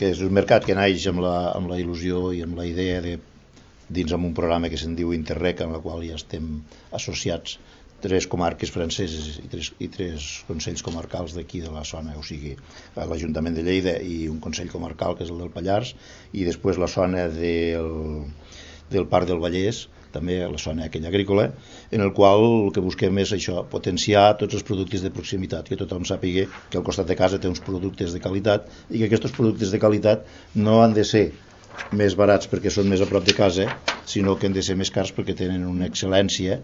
que és un mercat que naix amb la il·lusió i amb la idea de, dins amb un programa que se'n diu Interreg, en la qual ja estem associats 3 comarques franceses i 3 consells comarcals d'aquí de la zona, o sigui, l'Ajuntament de Lleida i un consell comarcal que és el del Pallars, i després la zona del Parc del Vallès, també la zona aquella agrícola, en el qual el que busquem és això, potenciar tots els productes de proximitat, que tothom sàpiga que al costat de casa té uns productes de qualitat i que aquests productes de qualitat no han de ser més barats perquè són més a prop de casa, sinó que han de ser més cars perquè tenen una excel·lència